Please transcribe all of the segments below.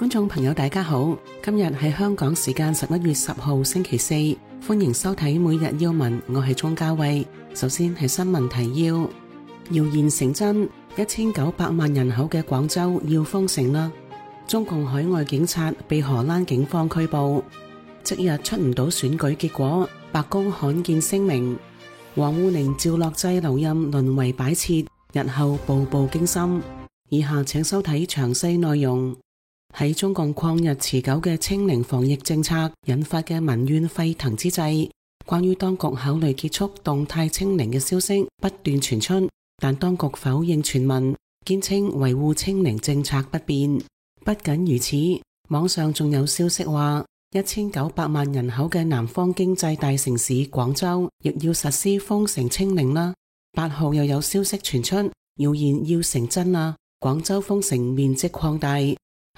觀眾朋友大家好，今日係香港時間11月10號星期四，歡迎收睇每日要聞，我係鍾嘉慧。首先係新聞提要，謠言成真，1900萬人口嘅廣州要封城啦。中共海外警察被荷蘭警方拘捕，即日出唔到選舉結果，白宮罕見聲明。王滬寧趙樂際留任淪為擺設，日後步步驚心。以下請收睇詳細內容。喺中共曠日持久嘅清零防疫政策引發嘅民怨沸騰之際，關於當局考慮結束動態清零嘅消息不斷傳出，但當局否認傳聞，堅稱維護清零政策不變。不僅如此，網上仲有消息話1900萬人口嘅南方經濟大城市廣州亦要實施封城清零啦。8號又有消息傳出，謠言要成真啦，廣州封城面積擴大。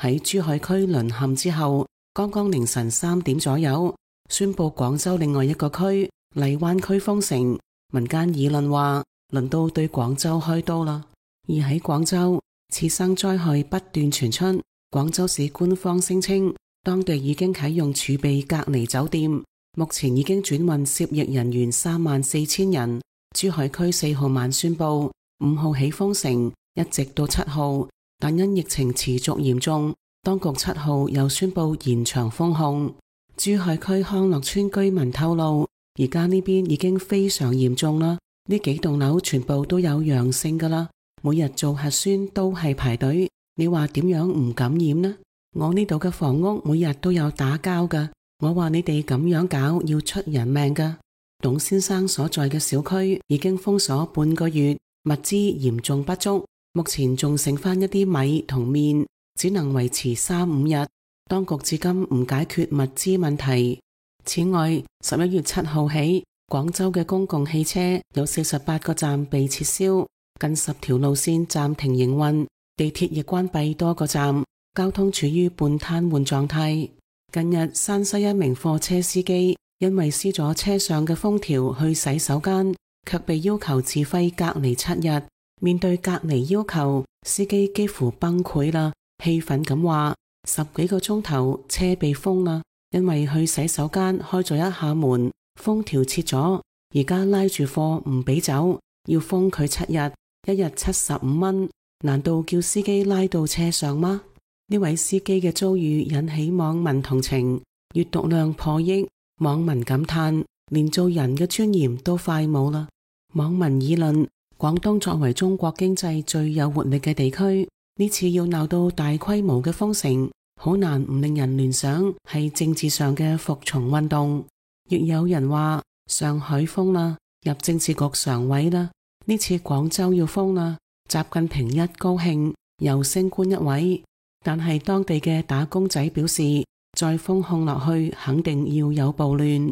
喺珠海區淪陷之後，剛剛凌晨3點左右，宣布廣州另外一個區荔灣區封城。民間議論話，輪到對廣州開刀啦。而喺廣州，次生災害不斷傳出。廣州市官方聲稱，當地已經啟用儲備隔離酒店，目前已經轉運涉疫人員34000人。珠海區4號晚宣布5號起封城，一直到7號。但因疫情持續嚴重，當局7號又宣布延長封控。珠海區康樂村居民透露，而家呢邊已經非常嚴重啦，呢幾棟樓全部都有陽性噶啦，每日做核酸都係排隊。你話點樣唔感染呢？我呢度嘅房屋每日都有打交噶，我話你哋咁樣搞要出人命噶。董先生所在嘅小區已經封鎖半個月，物資嚴重不足。目前仲剩翻一啲米同麵，只能維持3-5日。當局至今唔解決物資問題。此外，11月7號起，廣州嘅公共汽車有48個站被撤銷，近10條路線暫停營運，地鐵亦關閉多個站，交通處於半癱瘓狀態。近日，山西一名貨車司機因為撕咗車上嘅封條去洗手間，卻被要求自費隔離7日。面對隔離要求，司機幾乎崩潰啦，氣憤咁話：10幾個鐘頭車被封啦，因為去洗手間開咗一下門，封條切咗，而家拉住貨唔俾走，要封佢7日，一日75蚊，難道叫司機拉到車上嗎？呢位司機嘅遭遇引起網民同情，閱讀量破億，網民感嘆連做人嘅尊嚴都快冇啦。網民議論，廣東作為中國經濟最有活力嘅地區，呢次要鬧到大規模嘅封城，好難唔令人聯想係政治上嘅服從運動。亦有人話上海封啦，入政治局常委啦，呢次廣州要封啦，習近平一高興又升官一位。但係當地嘅打工仔表示，再封控落去肯定要有暴亂。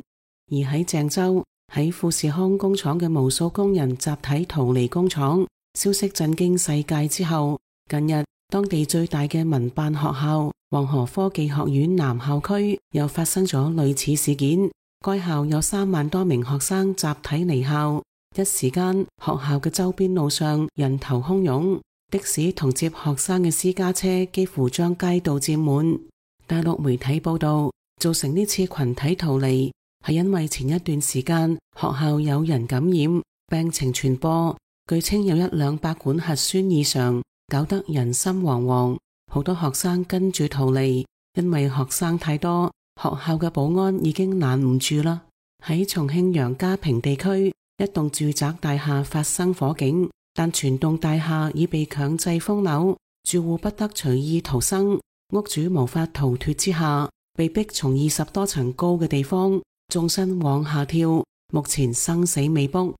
而喺鄭州，喺富士康工廠嘅無數工人集體逃離工廠，消息震驚世界之後，近日當地最大嘅民辦學校黃河科技學院南校區又發生咗類似事件，該校有3萬多名學生集體離校，一時間學校嘅周邊路上人頭洶湧，的士同接學生嘅私家車幾乎將街道佔滿。大陸媒體報道，造成呢次群體逃離係因為前一段時間學校有人感染，病情傳播，據稱有100-200管核酸異常，搞得人心惶惶。好多學生跟住逃離，因為學生太多，學校嘅保安已經攔唔住啦。喺重慶楊家坪地區，一棟住宅大廈發生火警，但全棟大廈已被強制封樓，住戶不得隨意逃生，屋主無法逃脫之下，被逼從20多層高嘅地方縱身往下跳，目前生死未卜。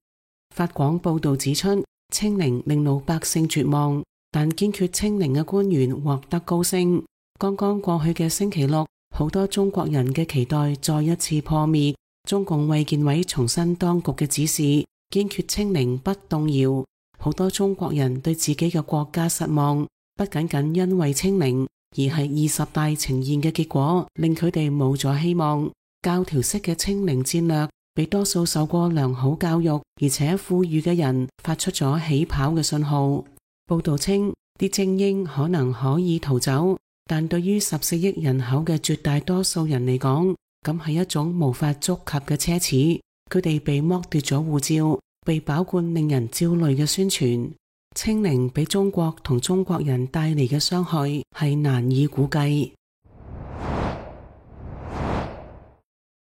法廣報道指出，清零令老百姓絕望，但堅決清零嘅官員獲得高升。剛剛過去嘅星期六，好多中國人嘅期待再一次破滅。中共衛健委重申當局嘅指示，堅決清零不動搖。好多中國人對自己嘅國家失望，不僅僅因為清零，而係20大呈現嘅結果令佢哋冇咗希望。教條式嘅清零戰略俾多數受過良好教育而且富裕嘅人發出咗起跑嘅信號。報道稱，啲精英可能可以逃走，但對於14億人口嘅絕大多數人嚟講，咁係一種無法觸及嘅奢侈。佢哋被剝奪咗護照，被飽灌令人焦慮嘅宣傳。清零俾中國同中國人帶嚟嘅傷害係難以估計。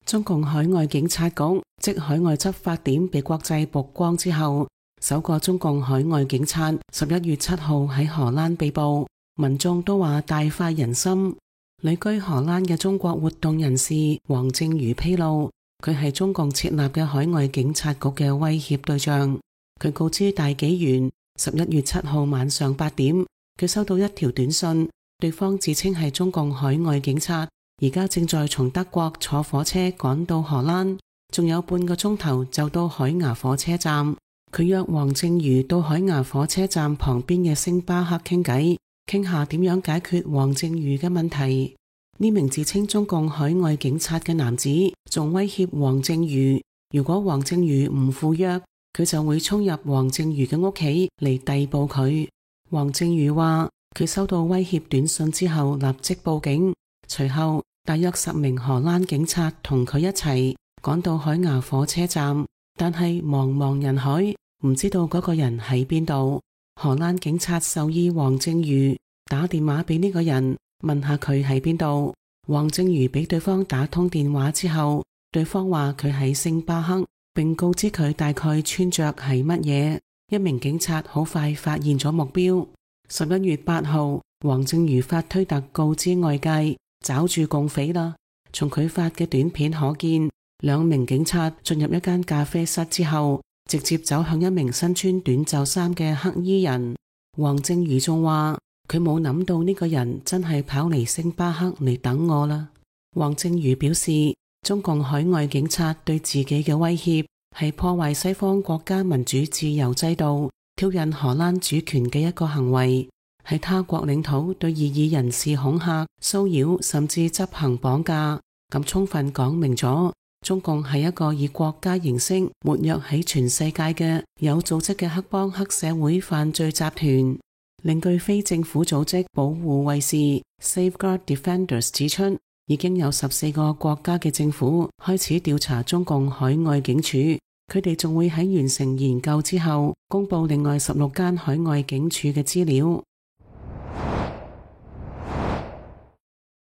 中共海外警察局即海外執法點被國際曝光之後，首個中共海外警察11月7號喺荷蘭被捕，民眾都話大快人心。旅居荷蘭嘅中國活動人士黃正瑜披露，佢係中共設立嘅海外警察局嘅威脅對象。佢告知大紀元11月7號晚上8點，佢收到一條短信，對方自稱係中共海外警察，而家正在從德國坐火車趕到荷蘭，仲有半個鐘頭就到海牙火車站。佢約黃正瑜到海牙火車站旁邊嘅星巴克傾偈，傾下點樣解決黃正瑜嘅問題。呢名自稱中共海外警察嘅男子仲威脅黃正瑜，如果黃正瑜唔赴約，佢就會衝入黃正瑜嘅屋企嚟逮捕佢。黃正瑜話佢收到威脅短信之後立即報警，隨後大約10名荷蘭警察同佢一齊趕到海牙火車站，但係茫茫人海唔知道嗰個人喺邊度。荷蘭警察授意黃正瑜打電話俾呢個人，問下佢喺邊度。黃正瑜俾對方打通電話之後，對方話佢喺星巴克，並告知佢大概穿着係乜嘢。一名警察好快發現咗目標。11月8號，黃正瑜發推特告知外界抓住共匪啦。從佢發嘅短片可見，2名警察進入一間咖啡室之後，直接走向一名身穿短袖衫嘅黑衣人。黃正瑜仲話佢冇諗到呢個人真係跑嚟星巴克嚟等我啦。黃正瑜表示，中共海外警察對自己嘅威脅係破壞西方國家民主自由制度、挑釁荷蘭主權嘅一個行為，喺他國領土對異議人士恐嚇、騷擾甚至執行綁架，咁充分講明咗中共係一個以國家形式活躍喺全世界嘅有組織嘅黑幫黑社會犯罪集團。另據非政府組織保護衛士 Safeguard Defenders 指出，已經有14個國家嘅政府開始調查中共海外警署，佢哋仲會喺完成研究之後公布另外16間海外警署嘅資料。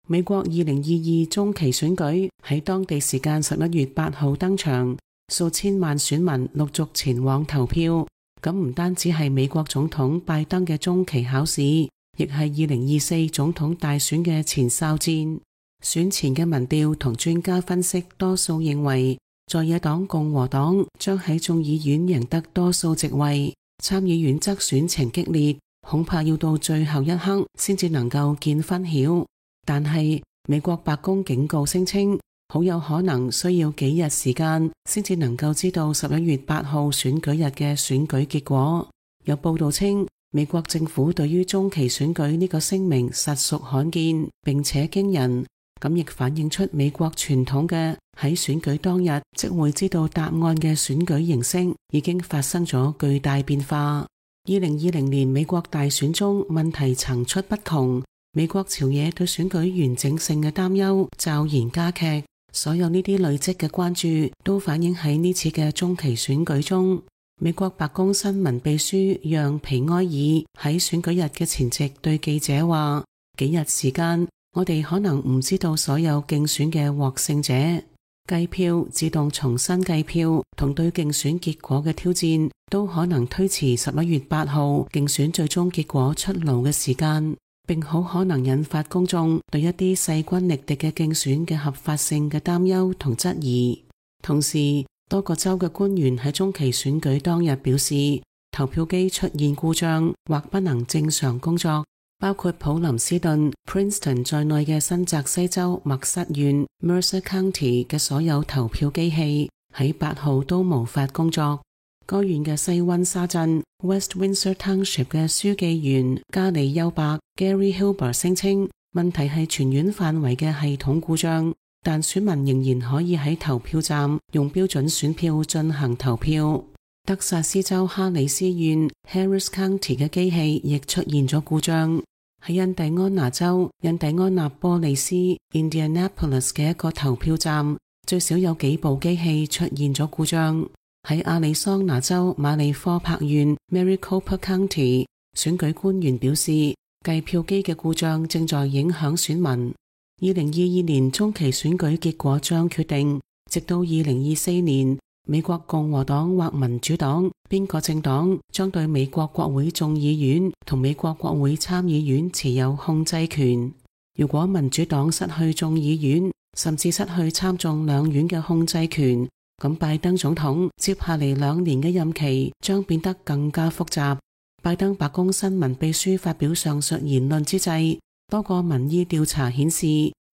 美國2022中期選舉喺當地時間11月8號登場，數千萬選民陸續前往投票。咁唔單止係美國總統拜登嘅中期考試，亦係2024總統大選嘅前哨戰。選前嘅民調同專家分析多數認為，在野黨共和黨將喺眾議院贏得多數席位，參議院則選情激烈，恐怕要到最後一刻先至能夠見分曉。但係美國白宮警告聲稱，好有可能需要幾日時間先至能夠知道11月8號選舉日嘅選舉結果。有報道稱，美國政府對於中期選舉呢個聲明實屬罕見並且驚人，咁亦反映出美國傳統嘅喺選舉當日即會知道答案嘅選舉形式已經發生咗巨大變化。2020年美國大選中問題層出不窮，美國朝野對選舉完整性嘅擔憂驟然加劇。所有呢啲累積嘅關注都反映喺呢次嘅中期選舉中。美國白宮新聞秘書讓皮埃爾喺選舉日嘅前夕對記者話：幾日時間，我哋可能唔知道所有競選嘅獲勝者。計票、自動重新計票同對競選結果嘅挑戰都可能推遲11月8號競選最終結果出爐嘅時間，並好可能引發公眾對一啲勢均力敵嘅競選嘅合法性嘅擔憂同質疑。同時，多個州嘅官員喺中期選舉當日表示，投票機出現故障或不能正常工作，包括普林斯頓、Princeton 在內嘅新澤西州默瑟縣 Mercer County 嘅所有投票機器喺8號都無法工作。該縣嘅西溫沙鎮 West Windsor Township 嘅書記員加里丘伯 Gary Hilber 聲稱，問題係全縣範圍嘅系統故障，但選民仍然可以喺投票站用標準選票進行投票。德薩斯州哈里斯縣 Harris County 嘅機器亦出現咗故障。喺印第安納州印第安納波利斯 Indianapolis 嘅一個投票站，最少有幾部機器出現咗故障。喺亞利桑那州馬里科帕縣 Maricopa County， 選舉官員表示，計票機嘅故障正在影響選民。2022年中期選舉結果將決定，直到2024年，美國共和黨或民主黨邊個政黨將對美國國會眾議院同美國國會參議院持有控制權。如果民主黨失去眾議院，甚至失去參眾兩院嘅控制權，咁拜登總統接下嚟2年嘅任期將變得更加複雜。拜登白宮新聞秘書發表上述言論之際，多個民意調查顯示，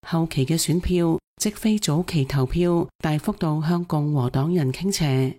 後期嘅選票，即非早期投票，大幅度向共和黨人傾斜。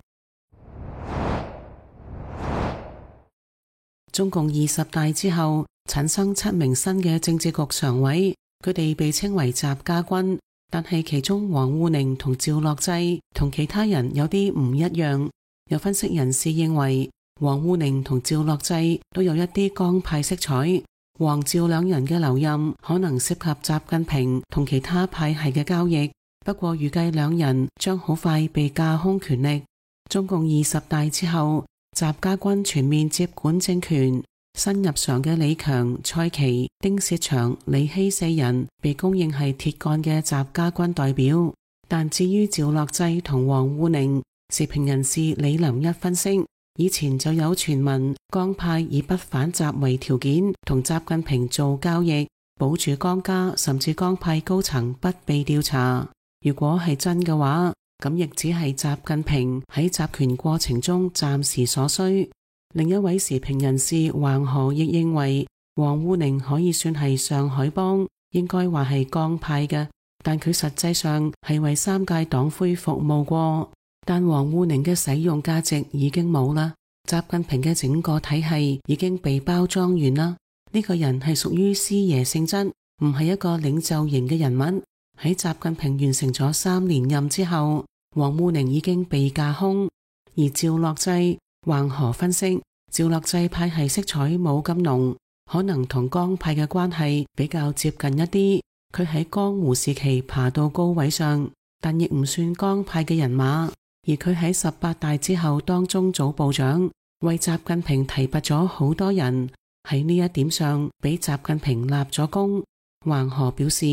中共20大之後，產生7名新嘅政治局常委，佢哋被稱為習家軍，但係其中王滬寧同趙樂際同其他人有啲唔一樣。有分析人士認為，王滬寧同趙樂際都有一啲江派色彩。王趙兩人嘅留任可能涉及習近平同其他派系嘅交易，不過預計兩人將好快被架空權力。中共20大之後，習家軍全面接管政權，新入常嘅李強、蔡奇、丁薛祥、李希四人被公認係鐵桿嘅習家軍代表。但至於趙樂際同王滬寧，時評人士李林一分析，以前就有傳聞江派以不反習為條件同習近平做交易，保住江家甚至江派高層不被調查。如果係真嘅話，咁亦只係習近平喺集權過程中暫時所需。另一位時評人士橫河亦認為，王滬寧可以算係上海幫，應該話係江派嘅，但佢實際上係為3屆黨魁服務過。但王滬寧嘅使用價值已經冇啦，習近平嘅整個體系已經被包裝完啦。呢個人係屬於師爺性質，唔係一個領袖型嘅人物。喺習近平完成咗3連任之後，王滬寧已經被架空。而趙樂際，橫河分析，趙樂際派系色彩冇咁濃，可能同江派嘅關係比較接近一啲。佢喺江湖時期爬到高位上，但亦唔算江派嘅人馬。而佢喺18大之後當中組部長，為習近平提拔咗好多人，喺呢一點上俾習近平立咗功。橫河表示，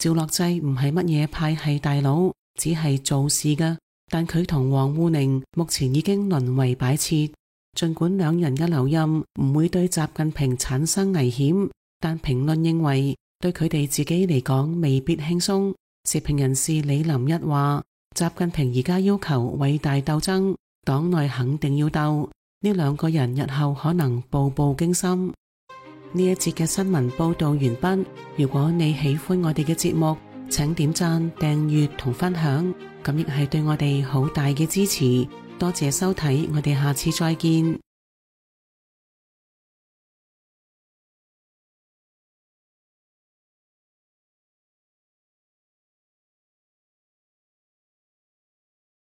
趙樂際唔係乜嘢派系大佬，只係做事嘅，但佢同王滬寧目前已經淪為擺設。儘管兩人嘅留任唔會對習近平產生危險，但評論認為對佢哋自己嚟講未必輕鬆。時評人士李林一話，習近平而家要求偉大鬥爭，黨內肯定要鬥，呢2個人日後可能步步驚心。呢一節嘅新聞報道完畢。如果你喜歡我哋嘅節目，請點讚、訂閱同分享，咁亦係對我哋好大嘅支持。多謝收睇，我哋下次再見。